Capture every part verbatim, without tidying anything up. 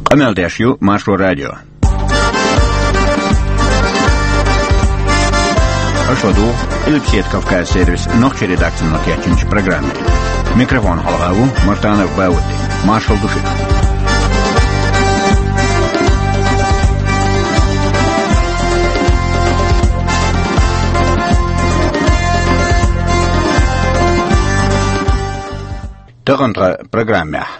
Къамел деш ю Маршо радио. Аша ладугӀу Къилбаседа Кавказ сервисан нохчийн редакцино кечйинчу программе. Микрофона хьалха ву Мартанов Баудди. Маршалла ду шуьга. Тахана тхан программехь.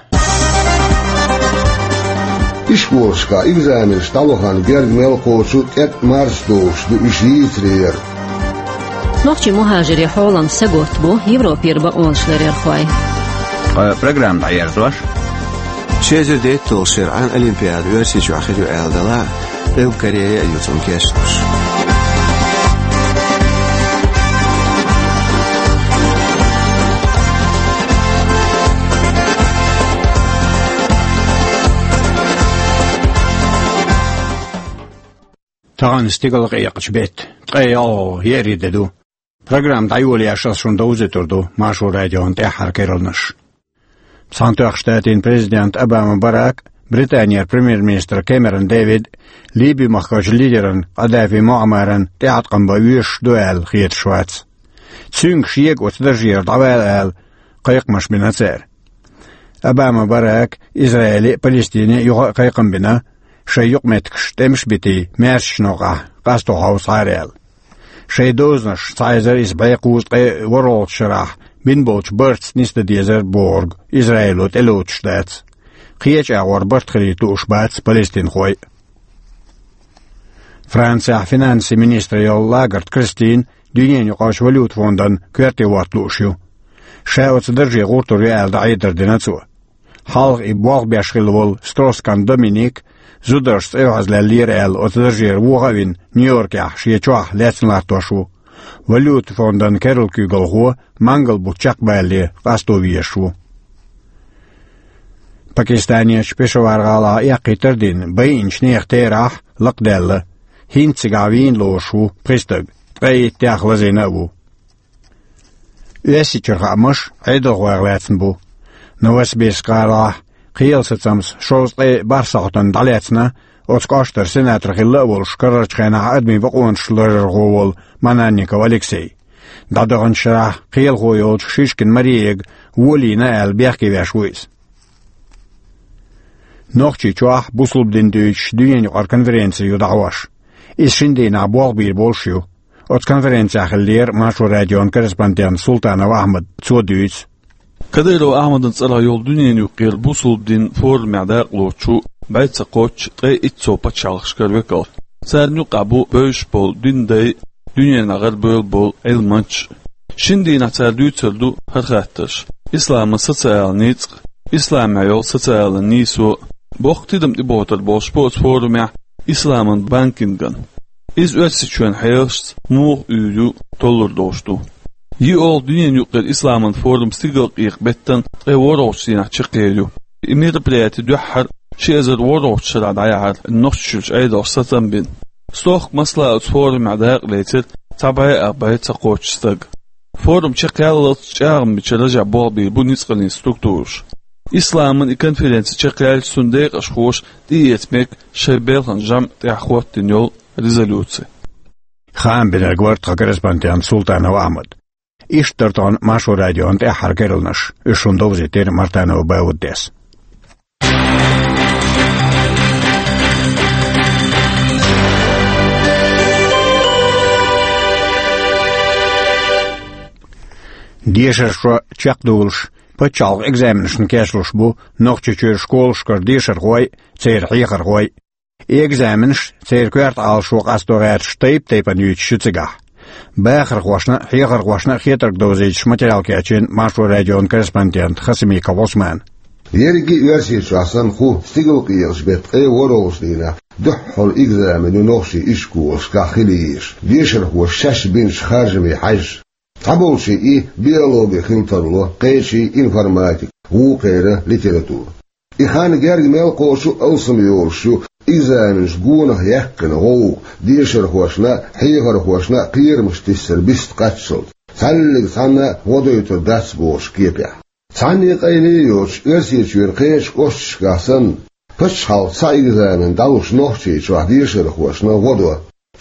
Ишколашкахь экзаменаш дӀавахана герга мел кхочу тӀетӀа марс долуш ду, уьш йийцарера. Нохчийн мухӀажирийн хьолан саготта бу Европера бакъонашларъярхой. Ткъа программа дӀаерзош. Ши эзар дейтталгӀачу шеран Олимпиада Оьрсийчохь хир ю аьлла делахь а, Корея а ю цунна кечлуш. Тахана стигалкъекъачу беттан ткъе ялхалгӀа еарин де ду. Программа дӀайолош ас шуна довзуьйтур ду Маршо радион тӀаьххьара керланаш. Цхьаьнатоьхначу Штатийн президент Обама Барак, Британера премьер-министр Кэмерон Дэвид, Ливин махкарчу лидеран Къадафи Муаммаран тӀеӀаткъам бан везаш ду аьлла хеташ вац. Цуьнга шега оцу даржера дӀавала аьлла кхайкхамаш бина цара. Обама Барака Израиле а, Палестине а юха а кхайкхам бина, шайн юкъаметтигаш тӀемаш а битий, маьршачу новкъахь къасто хьовсахьара аьлла. Шайн дозанаш цхьа эзар исс бӀе кхузткъе ворхӀалгӀачу шарахь бина болчу бартаца нисдан дезара бохург Израило тӀелоцуш дац. Кхечу агӀор барт хилийта лууш бац палестинхой а. Францехь финансийн министр йолу Лагард Кристина дуьненаюкъарчу валюта фондан коьрте хӀотта лууш ю. Ша оцу дарже гӀуртур ю аьлла дӀахьедар дина цо. Хьалха и болх беш хилла волу Строс-Кан Доминик зударшца эвхьазлаьллера аьлла оцу даржера воха а вина, Нью-Йоркехь шен чохь лаьцна латтош ву. Валюта фондан керла куьйгалхо мангал бутт чекхбалале къасто везаш ву. Пакистанерчу Пешавар-гӀалахь эккхийтар а дина, байинчу нехан терахь лакхадаьлла. ХӀинца цигахь вийна лоруш ву пхи стаг, ткъе иттех лазийна а ву. Оьрсийчуьра хаамаш Ӏедалхойх лаьцна бу. Новосибирск-гӀалахь кхелан сацамца шовзткъе бархӀ сахьтана дӀалаьцна оцу кӀоштара сенатор хилла а волуш, карарчу хенахь адамийн бакъонаш ларархо волу Мананников Алексей. ДӀадаханчу шарахь кхелахо йолчу Шишкин Мариега волийна аьлла бехке веш ву иза. Нохчийчохь бусулба дин дуьйцуш дуьненаюкъара конференци ю дӀахьош. Иза шина дийнахь болх бийр болуш ю. Оцу конференцехь хиллера Маршо радион корреспондент Султанов Ахьмад, цо дуьйцу. Кадыров Ахьмадан цӀарах йолу дуьненаюкъара бусулба дин форумехь дакъалоцуш ву бӀе ца кхоччуш ткъе итт сов пачхьалкхашкара векалш. Царна юкъахь бу бевзаш болу динан дай а, дуьненахь гӀарабевлла болу Ӏилманчаш а. Шина дийнахь цара дуьйцур ду хӀара хаттарш: исламан социалан ницкъ, исламехь йолу социалан нийсо. Боккха тидам тӀебохуьйтур болуш бу оцу форумехь исламан банкингана. Иза Оьрсийчоьнан хьелашца муха уьйр ю толлур долуш ду. ЙиъолгӀа дуьненаюкъара исламан форум стигалкъекъа беттан ткъе ворхӀалгӀачу дийнахь чекхъер ю. И мероприяти дуьххьара ши эзар ворхӀалгӀачу шарахь дӀаяхьара, Нохчийчуьрчу Ӏедалша сацам бина. Стохка масала оцу форумехь дакъа лецира цхьа бӀе а, бӀе ца кхоччуш стаг. Форум чекхъяллалц чӀагӀбинчу Ражаб болх бийр бу ницкъаллин структураш. Исламан и конференци чекхъяьлча, цуьнан декъашхоша тӀеэца мега шайн белхан жамӀ тӀехь хӀоттийна йолу резолюци. Хаам бинарг вара тхан корреспондент Султанов Ахьмад. Иштта дара тахана Маршо радион тӀаьххьара керланаш. Уьш шуна довзийтира Мартанов Бауддис. Дешархой чекхдолуш, пачхьалкхан экзаменашна кечлуш бу Нохчийчуьра школашкара дешархой а, церан хьехархой а. И экзаменаш, церан коьрта Ӏалашо къасто гӀерташ, тайп-тайпана юьйцуш ю цигахь. Бахархошна а, хьехархошна а хетарг довзуьйтуш материал кечйина Маршо радион корреспондента Хасимиков Ӏусмана. Ерриге а Оьрсийчохь санна, хӀу стигалкъекъачу беттан ткъе ворхӀалгӀачу дийнахь дуьххьара экзамен ю нохчийн ишколашкахь хила езаш, дешархоша шаьш бинчу харжамийн хьаьжжа. Цхьаболчийн и биологи хила тарло, кхечийн информатика, вукхеран литература. И хан герга мел кхочу а алсам йолуш ю экзаменаш гонах яьккхина гӀовгӀа дешархошна а, хьехархошна а кхерамаш тиссар бист кхаччалц, цхьаьллиг цхьанна а гӀо дойтур дац бохучу кепехь. Цхьанне а къайле а йоцуш, Оьрсийчоьнан кхечу кӀошташкахь санна, Паччахьалкхе цхьа экзамен дӀалуш Нохчийчохь дешархошна гӀо до.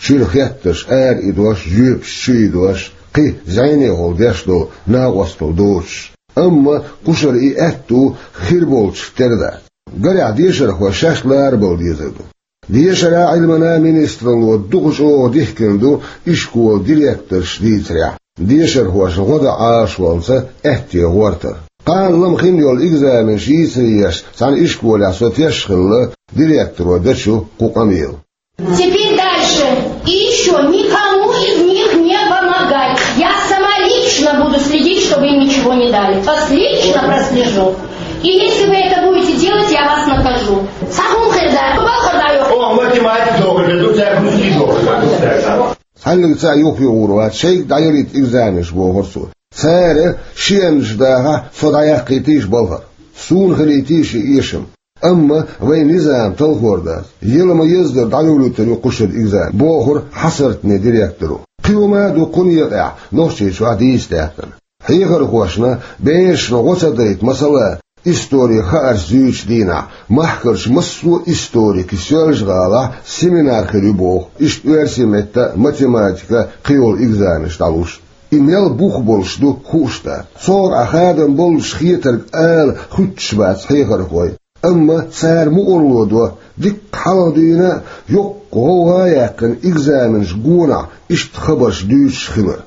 Чуьра хеттарш ара идош, жоьпаш чу идош, кхин зӀенехула деш долу накъосталла доцуш. Амма кхушара и аьтту хир болчух тера дац. Гарехь, дешархой шаьш ларабала дезар ду. Дешара, Ӏилмана министралло дукха чӀогӀа дихкина ду ишколан директорша дийцарехь, дешархошна гӀо дан Ӏалашонца аьтте гӀортар. Кхана лама хин йолу экзаменаш йийцаре еш цхьана ишколехь со тешна хилла, директоро дан чу кху къамел. Теперь дальше. И ещё никому из них не помогать. Я сама лично буду следить, чтобы им ничего не дали. Вас лично прослежу. И если вы это будете делать, я вас накажу. Сахун хирда, бахарда. О, математика добре, тут я русский добре. Цхьаьннеца юххе гӀур вац, шайга дӀаялийта экзаменаш, бохура цо. Цара шиъ аьлча дахахь, со дӀаяккхийтийша балхара. Суна хилийтийша и эшам. Амма вайн низам талхор дац. Яла ма-еззара дӀадовлуьйтур ю кхушара экзамен, бохура хьасартане директоро. Кхин хӀума а ду кху некъехь Нохчийчохь дийца даьккхина. Хьехархошна берашна гӀо ца дайта, масала, истори хаарш зуьйчу дийнахь, махкарчу массо а историкийн Соьлжа-ГӀалахь семинар хир ю боху, иштта оьрсийн меттан а, математикан а кхин йолу экзаменаш дӀалуш. И мел бух болуш ду хууш дац. Цуьнга хадам боллуш хетарг ала хуьттуш бац хьехархой. Амма цара мукъарло до, дикка хьалха дуьйна а, йоккха гӀовгӀа а яьккхина, экзаменаш гонахь иштта хабарш дуьйцуш хилар.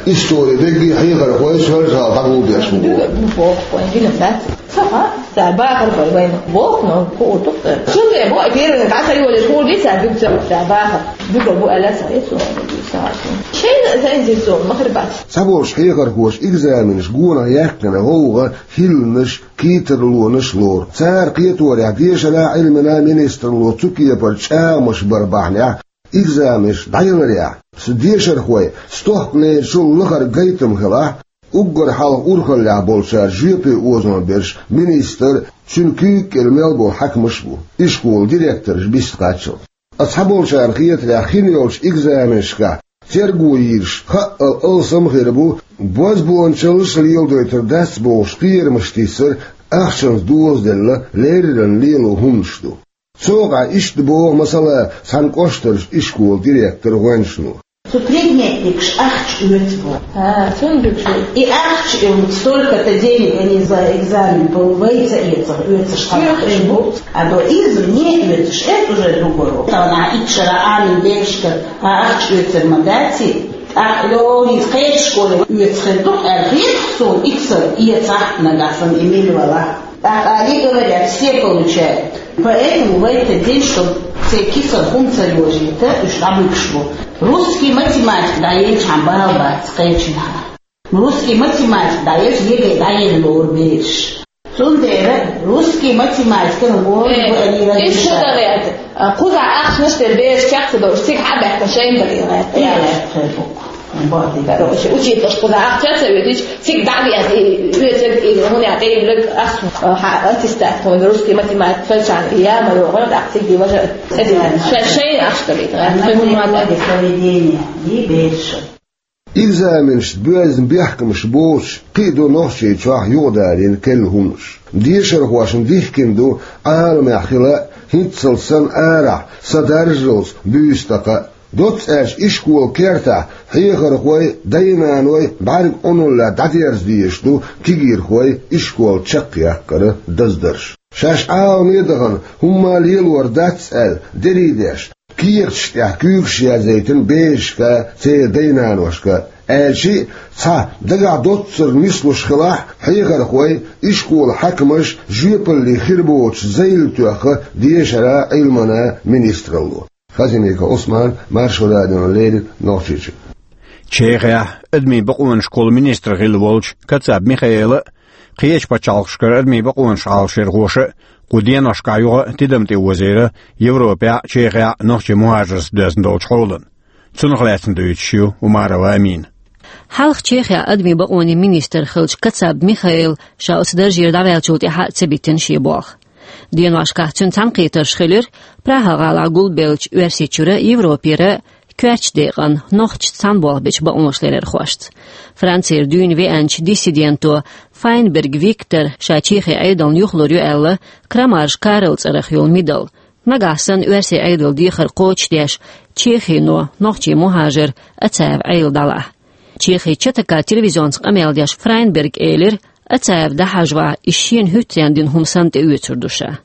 Истори дерриге а хьехархой Соьлжа-ГӀала дӀагулдеш бу. Ца бахархой вайна боху, но хуур ду-кх. Цундела бу, первый дӀа ца йолуш хуур ду, ца дуьгу ца бахар. Дуьгу бу аьлла ца, я цо, ца. Шайна заинтересован ма хир бац. Цхьаболчу хьехархоша экзаменаш гонах яьккхина гӀовгӀа хӀилланаш, кхетарлонаш лору. Цара кхеторехь, дешара, Ӏилмана министралло цу кепара чӀагӀамаш бар бахьанехь, экзаменаш дӀаяларехь, дешархой стохкалерчул лахара гайтам хилахь, уггар хьалха урхаллехь болчара жоьпе озо берш министр, цуьнан куьйга кӀела мел болу хьаькамаш а бу, ишколан директораш бист кхаччалц. Ткъа цхьаболчарна хетарехь, хин йолчу экзаменашкахь терго йийраш хаъал алсам а хир бу, бозбуунчаллаш а леладойтур дац бохуш кхерамаш тиссар, ахчанца дозаделла леррина лело хӀуманаш ду. Цуьнга иштта боху, масала, цхьана кӀоштарчу ишколан директора гӀоьнчано. Цу предметникаш ахча оьцу боху. А, цундела. И ахча, и вот столько-то денег они за экзамен пол-, вай ца эцар, оьцуш хьалха бу. А до извне оьцуш, это уже другой вопрос. Тахана итт шарахь Ӏамийна берашка а ахча оьцур ма дац и. ТӀаккха лоьрийн кхечу школе оьцуш хир ду-кх аьлла хета суна, иксар эцахь нагахь санна и мила валахь. Так они говорят, все получают. Поэтому в этот день, чтоб церан кисар хӀума ца йожийта, уьш дӀабуьгуш бу. Русский, математика дӀаелчхьана бала бац кхечанхьа. Русский, математика дӀаелча, ЕГЭ дӀаелла лору бераш. Цундела русский, математика лору. Э, бу они, иштта разрешают. Кхузахь ахчанаш тера бераш чекх ца долуш, цига хьа а баьхкина шайна бара и гӀерта. Короче, учительш кхузахь ахча ца оьцуш, цига дӀа а веана, и оьцург, и хӀунда тӀеюьйлург ахча, а, хьа аттестат, хӀунда русский, математика фельдшерна и я ма йогӀу, тӀаккха цига и важа, ша-, шайна ахча далийта. Она требование поведения, и берша. Экзаменашца боьзна бехкамаш боцуш, кхин а ду Нохчийчохь юкъадалийна керла хӀуманаш. Дешархошна дихкина ду Ӏаламехь хила а, хӀинццалц санна арахь, сан даржалц буьйса такха а. Доцца аьлча, ишколан кертахь хьехархой, дай-наной бӀаьрган Ӏуналлехь дӀадерза дезаш ду кегийрхой ишкол чекхъяккхаран даздарш. Шаьш Ӏаламе а дахана, хӀумма а лелор дац аьлла, дерриг а деш, кехаташ тӀехь куьйгаш язъяйтина берашка, церан дай-наношка, аьлча а, цхьа дагахь доццура нислуш хилахь, хьехархой, ишколан хьаькамаш жоьпалле хир боцуш зайла тоьхна дешара, Ӏилмана министралло. Хазимиков Ӏусман, Маршо радиона леррина, Нохчийчуьра. Чехехь адамийн бакъонаш кхолларан министр хилла волчу Кацаб Михаэла а, кхечу пачхьалкхашкара адамийн бакъонаш Ӏалашъярхоша а кху деношкахь юха а тидам тӀеозийра Европехь а, Чехехь а нохчийн мухӀажаршца доьзна долчу хьолана. Цунах лаьцна дуьйцуш ю Умарова Амина. Хьалха Чехехь адамийн бакъонийн министр хиллачу Кацаб Михаэла ша оцу даржера дӀаваьллачул тӀаьхьа а ца биттина шен болх. Деношкахь цуьнан цхьаьнакхетарш хилира Прага-гӀалахь гулбеллачу Оьрсийчуьра, Европера, коьртачу декъана нохчашца цхьаьна болх бечу бакъонашларъярхошца. Францера дуьйна веанчу диссиденто Файнберг Виктора ша Чехин Ӏедална юхалур ю аьлла, Крамарж Карла цӀарах йолу медаль, нагахь санна оьрсийн Ӏедалан дехар кхочушдеш, Чехино нохчийн мухӀажар Ацаев Ӏела дӀалахь. Чехин ЧТК телевизионца къамел деш Файнберга элира, Ацаев дӀахьажавахь, иза шена хӀуьттаренна дина хӀума санна тӀеоьцур ду ша.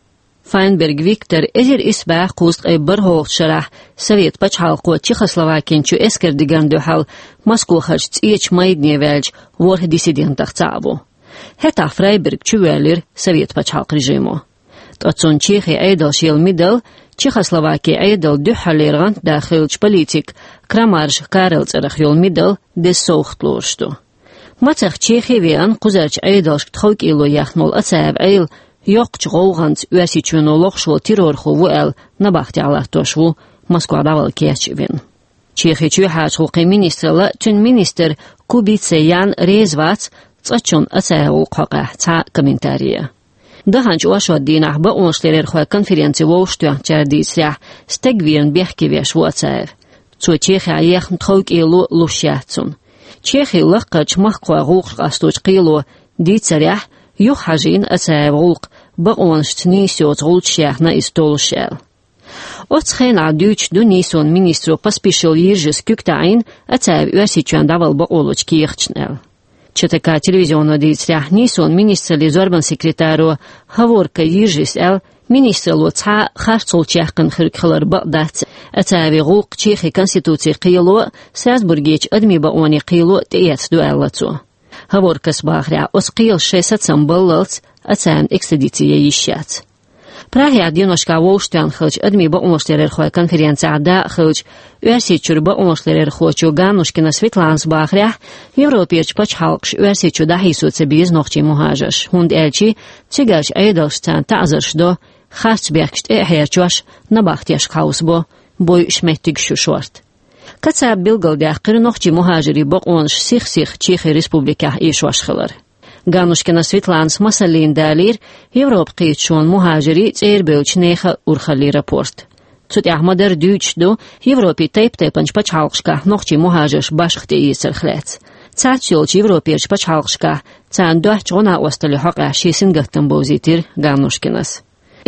Файнберг Виктор эзар исс бӀе кхузткъе бархӀалгӀачу шарахь Совет пачхьалкхо Чехословакин чу эскар дигна дуьхьал Москвахарчу ЦӀечу майдане ваьллачу ворхӀ диссидентех цхьаъ ву. ХӀетахь Фрайберг чувоьллира Совет пачхьалкх режимо. Ткъа цунна Чехин Ӏедалша елла медаль Чехословакин Ӏедална дуьххьарлера гӀантда хиллачу политика Крамарж Карла цӀарах йолу медаль деза совгӀат лоруш ду. Мацах Чехи а веана, кхузарчу Ӏедалшка тховкӀело ехна волу Ацаев Ӏела йоккхачу гӀовгӀанца Оьрсийчоьно лохуш волу террорхо ву аьлла, набахтехь латтош ву, Москва дӀавала кечъян вина. Чехин чоьхьарчу гӀуллакхийн министралла а, цуьнан министра Кубица Ян реза вац цкъачунна Ацаевн гӀуллакх хьокъехь цхьа а комментари ян. Даханчу оршот дийнахь бакъонашларъярхойн конференци вовшахтоьхначара дийцарехь, стаг верна бехке веш ву Ацаев. Цо Чехехь ехна тховкӀело луш яц цунна. Чехин лакхарчу махкахойн гӀуллакхаш къасточу кхело дийцарехь, юха хьажийна Ацаевн гӀуллакх, бакъонашца нийса йоцу гӀулчаш яьхна иза толлуш аьлла. Оцу хенахь дуьйцуш ду нийсонан министро Поспишил Йиржис куьг таӀийна Ацаев Оьрсийчоьнна дӀавала бакъо лучу кехаташна аьлла. ЧТК телевизионо дийцарехь, нийсонан министраллин зорбанан секретаро Һаворка Йиржис аьлла, министралло цхьа а харцлуш яьккхина хирг хилар бакъ дац, Ацаевн гӀуллакх Чехин конституцин кхело а, Страсбургерчу адамийн бакъонийн кхело а тӀеэцна ду аьлла цо. Һаворкас бахарехь, оцу кхелаша шайн сацам баллалц Ацаевна экстрадици ян йиш яц. Прагехь деношкахь вовшахтоьхна хиллачу адамийн бакъонашларъярхойн конференцехь дакъа хиллачу Оьрсийчуьра бакъонашларъярхочо Ганнушкина Светланас бахарехь, Европерчу пачхьалкхаша Оьрсийчу дӀахьийсо ца беза нохчийн мухӀажарш, хӀунда аьлча цигарчу Ӏедалша царна таӀзарш до, харц бехкаш тӀе а хьерчош, набахтешка хьовсабо, бойуш меттигаш ю шорта. Кацаба билгалдаьккхира нохчийн мухӀажарийн бакъонаш сих-сиха Чехин Республикехь эшош хилар. Ганнушкина Светланас масаллина далийра Европа кхеташонан мухӀажарийн, цӀера бевллачу нехан урхаллийн рапорт. Цу тӀехь ма-дарра дуьйцуш ду Европин тайп-тайпанчу пачхьалкхашкахь нохчийн мухӀажарш башха тӀеэцарх лаьцна. Цхьацца йолчу Европерчу пачхьалкхашкахь царна доцчу гӀо-накъосталлин хьокъехь шен сингаттам бовзийтира Ганнушкинас.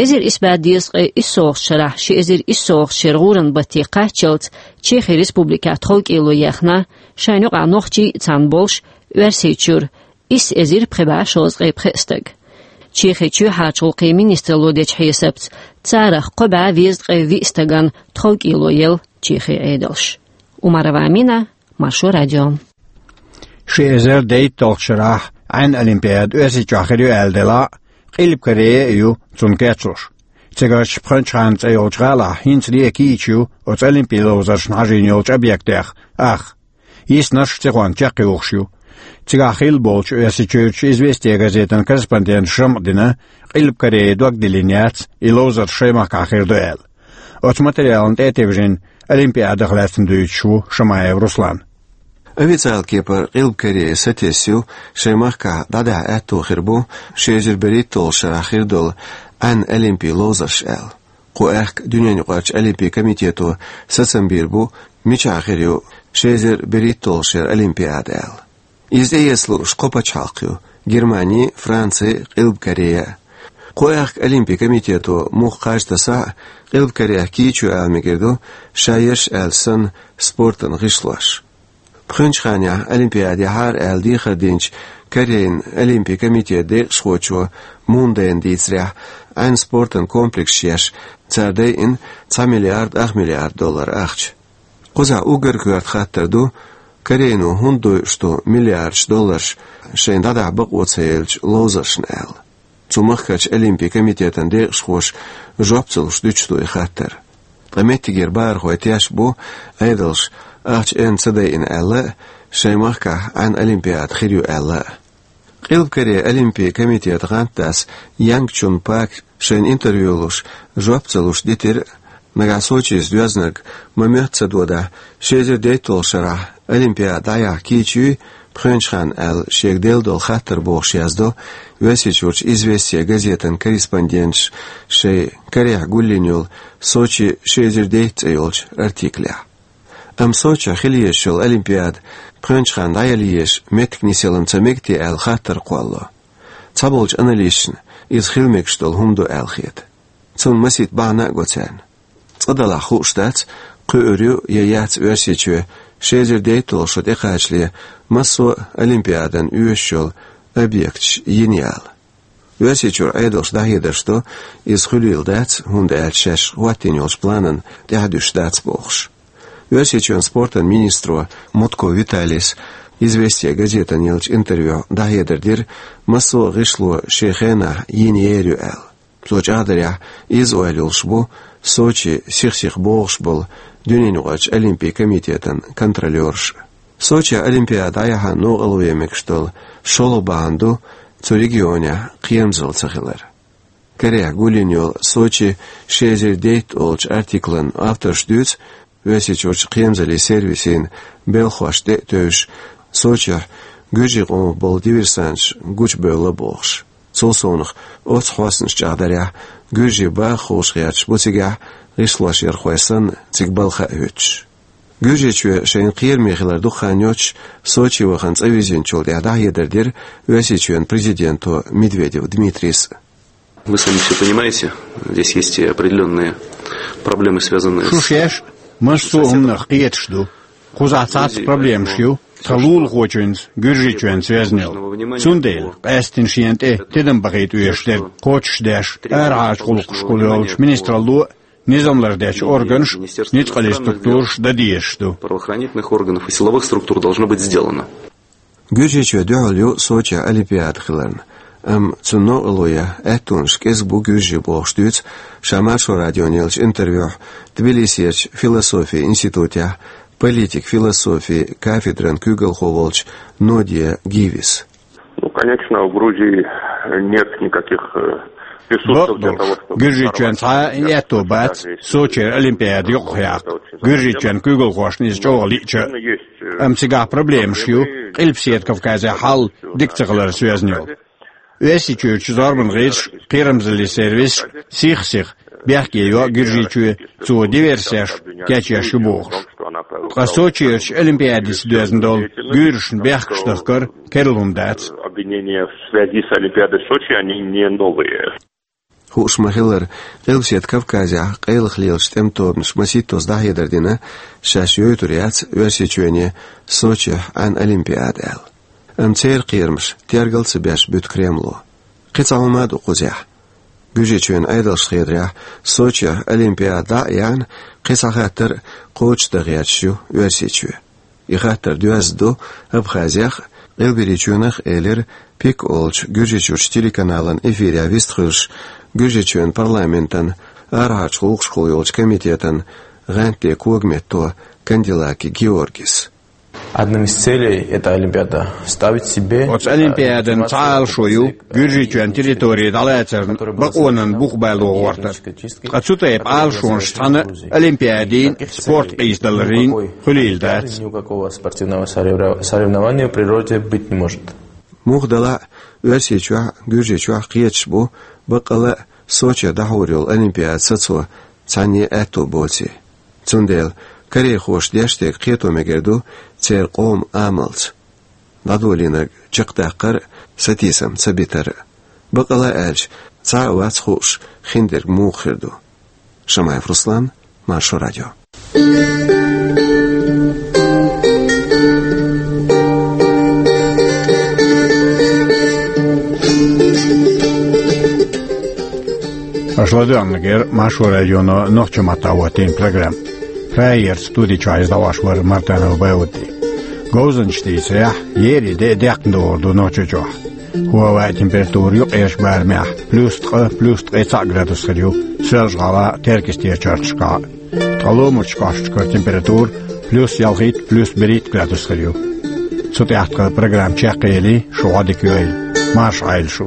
Эзар исс бӀе дезткъе иссолгӀачу шарахь ши эзар иссолгӀачу шеран гӀуран батте кхаччалц Чехин Республикехь тховкӀело ехна, шайна юкъахь нохчий а цхьаьна болуш, Оьрсийчуьра исс эзар пхи бӀе шовзткъе пхи стаг. Чехин чоьхьарчу гӀуллакхийн министралло дечу хьесапца, царах кхо бӀе везткъе виъ стагана тховкӀело елла Чехин Ӏедалша. Умарова Амина, Маршо радио. Ши эзар дейтталгӀачу шарахь Ӏаьн олимпиада Оьрсийчохь хир ю аьлла делахь а, Къилба Корея а ю цунна кечлуш. Цигарчу Пхенчхан цӀе йолчу гӀалахь хӀинцале а кийча ю оцу олимпийн ловзаршна хьажийна йолчу объектех ах. Йиснарш сихонца чекхйохуш ю. Цигахь хилла болчу Оьрсийчуьрчу «Известия» газетан корреспонденташа жамӀ дина, Къилба Корея дог диллина яц, и ловзарш шайн махкахь хир ду аьлла. Оцу материална тӀе а тевжина, олимпиадах лаьцна дуьйцуш ву Шамаев Руслан. Официалан кепара Къилба Корея сатесна ю, шайн махкахь дӀадахьа аьтто хир бу ши эзар берхӀитталгӀачу шарахь хир долу Ӏаьн олимпийн ловзарш аьлла. Кху аьхка дуьненаюкъарчу олимпийн комитето сацам бийр бу, мичахь хир ю ши эзар берхӀитталгӀачу шеран олимпиада аьлла. Иза тӀеэца лууш кхо пачхьалкх ю: Германи, Франци, Къилба Корея. Кху аьхка олимпийн комитето муха кхаж тасахь а, Къилба Кореях кийча ю ала мегар ду, ша ерш аьлла санна, спортан гӀишлош. Пхенчханехь олимпиада яхьара аьлла дехар динчу Корейн олимпийн комитетан декъашхочо Мун Дэна дийцарехь, Ӏаьн спортан комплекс еш, цара дайина цхьа миллиард ах миллиард доллар ахча. Кхузахь уггар коьрта хаттар ду, Корейно хӀунда дойуш ду миллиардаш долларш шайна дӀадахьа бакъо ца еллачу ловзаршна аьлла. Цу махкарчу олимпийн комитетан декъашхоша жоп ца луш дуьтуш ду и хаттар. Ткъа меттигера бахархой тешна бу, Ӏедалша ахча энна ца дайина аьлла а, шайн махкахь Ӏаьн олимпиада хир ю аьлла а. Къилба Корейн олимпийн комитетан гӀантдас Янг Чун Пак шайна интервью луш, жоп ца луш дитира, нагахь Сочица доьзнарг ма-моьтту ца додахь, ши эзар дейтталгӀачу шарахь олимпиада дӀаяхьа кийча юй Пхенчхан аьлла шега делла долу хаттар, бохуш яздо Оьрсийчуьрчу «Известия» газетан корреспонденташа шайн «Корейхь гулйина йолу Сочи ши эзар дейтта» цӀе йолчу артиклехь. Амма Сочехь хила езаш йолу Олимпиада пхоьнчу ханна дӀаяла езаш меттиг нисъялар ца мега те аьлла хаттар кхоллало. Цхьаболчу аналитикашна иза хила мегаш долу хӀума ду аьлла хета. Цунна масийтта бахьана а го царна. Цкъа-делахь хууш дац, кхуьур ю я яц Оьрсийчоь ши эзар дейтталгӀа шо тӀекхачале массо а Олимпиадана оьшуш йолу объекташ йина яла. Оьрсийчуьра Ӏедалша дӀахьедарш до, иза хуьлийла дац, хӀунда аьлча шаьш хӀоттийна йолчу планана тӀаьхьадуьсуш дац бохуш. Оьрсийчоьнан спортан министро Мутко Виталис «Известия» газетана еллачу интервьюхь дӀахьедар дира, массо а гӀишло шен хенахь йина ер ю аьлла. Цо чӀагӀдарехь, иза ойла йолуш бу Сочи сих-сиха богӀуш болу дуьненаюкъарчу Олимпийн комитетан контролёраш. Сочехь Олимпиада дӀаяхьа новкъарло ян мегаш долу шолгӀа бахьана ду цу регионехь кхерамзалла ца хилар. Карехь гулйина йолу «Сочи ши эзар дейтталгӀа» олучу артиклан авторша дуьйцу, Оьрсийчуьрчу кхерамзаллин сервисийн белхахошна тӀе а тевжаш, Сочехь гуьржийн къомах болу диверсанташ гучубевлла бохуш. Цул совнаха, оццу хьостанаша чӀагӀдарехь, гуьржийн баха ховшахгӀерташ бу цигахь, гӀишлошъярхой санна, цига балха а хӀуьттуш. Гуьржийчоь шайна кхераме хилар дукха хан йоццуш Сочи вахана цӀа вирзинчул тӀаьхьа дӀахьедар дира Оьрсийчоьнан президенто Медведев Дмитрийс. Вы сами все понимаете, здесь есть и определённые проблемы, связанные с... Шу шаьш массо а хӀуманах кхеташ ду. Кхузахь цхьацца проблемаш ю тхан лулахочуьнца, Гуьржийчоьнца везна йолу. Цундела къаьсттина шена тӀе тидам бахийта оьшуш дерг кхочушдеш, арахьарчу гӀуллакхашкахула йолчу министралло а, низам лардечу органаша, ницкъаллин структураша дан дезаш ду. Правоохранительных органов и силовых структур должно быть сделано. Гуьржийчоь дуьхьал ю Сочехь Олимпиада хиларна, амма цунна новкъарло ян аьттонаш кӀезиг бу гуьржийн бохуш дуьйцу ша Маршо радиона еллачу интервьюхь Тбилисерчу философин институтехь политик-философин кафедран куьйгалхо волчу Нодия Гивис. Ну, конечно, у Грузии нет никаких, э, ресурсов для того, чтобы... Гуьржийчоьнан цхьа а аьтто бац Сочера Олимпиада юкъахъяккха, Гуьржийчоьнан куьйгалхошна иза чӀогӀа лиъча а. Амма цигахь проблемаш ю, Къилбаседа Кавказехь хьал дика ца хиларца везна йолу. Оьрсийчуьрчу зорбанан гӀирсаша, кхерамзаллин сервисаша сих-сиха бехке йо Гуьржийчоь, цо диверсеш кечъеш ю бохуш. Ткъа Сочерчу Олимпиадица доьзна долу гуьйрашна бехкаш дахкар керла хӀума дац. Обвинения в связи с Олимпиадой в Сочи, они не новые. Хууш ма-хиллара, Къилбаседа Кавказехь къайлаха лелачу тӀеман тобанаша масийттаза дӀахьедар дина, шаьш йойтур яц Оьрсийчоьне Сочехь Ӏан Олимпиада аьлла. Амма церан кхерамаш тергал ца беш буьту Кремло. Кхин цхьа хӀума а ду кхузахь. Гуьржийчоьнан Ӏедалша хетарехь, Сочехь Олимпиада дӀа а яьхна, кхин цхьа хаттар а кхочушдан гӀерташ ю Оьрсийчоь. И хаттар доьзна ду Абхазех а, Къилберийчоьнах а, элира Пик олучу Гуьржийчуьрчу телеканалан эфирехь вистхуьлуш, Гуьржийчоьнан парламентан арахьарчу гӀуллакхашкахула йолчу комитетан гӀантден когаметто Кандилаки Георгис. Одним из целей этой Олимпиады ставить себе... Оцу Олимпиадан цхьа а алашо ю Гуьржийчоьнан территори дӀалацарна бакъонан бух бало гӀортар. Ткъа цу тайпа алашонаш цхьана а Олимпиадин а, спорт къийсадаларийн а хуьлийла дац. Никакого спортивного соревнова-, соревнования в природе быть не может. Муха делахь а, Оьрсийчохь а, Гуьржийчохь а кхеташ бу, баккъала а Соче дӀахьур йолу Олимпиада сацо цхьанне а аьтто боций. Цундела корейхоша деш дерг кхето мегар ду церан къоман амалца. ДӀадолийнарг чекхдаккхар а, сатийсам ца битар а. Бакъала а аьлча, цхьа а вац хууш, хиндерг муха хир ду. Шамаев Руслан, Маршо радио. Аша ладоьгӀнарг яра Маршо радионо нохчийн маттахь хӀоттийна программа. Прагерчу студи чохь иза дӀахьош вара Мартанов Баудди. Говзанчаш дийцарехь, еарин де а деккхана догӀур ду Нохчийчохь. ХӀаваан температура юккъерчу барамехь плюс ткъа, плюс ткъе цхьаъ градус хир ю Соьлжа-ГӀалахь а, Теркйистера чарташкахь а. Ткъа ломарчу кӀошташкара температура плюс ялхитта, плюс берхӀитта градус хир ю. Цу тӀехь тхан программа чекхъели, шу Ӏодика йойла. Марша Ӏойла шу.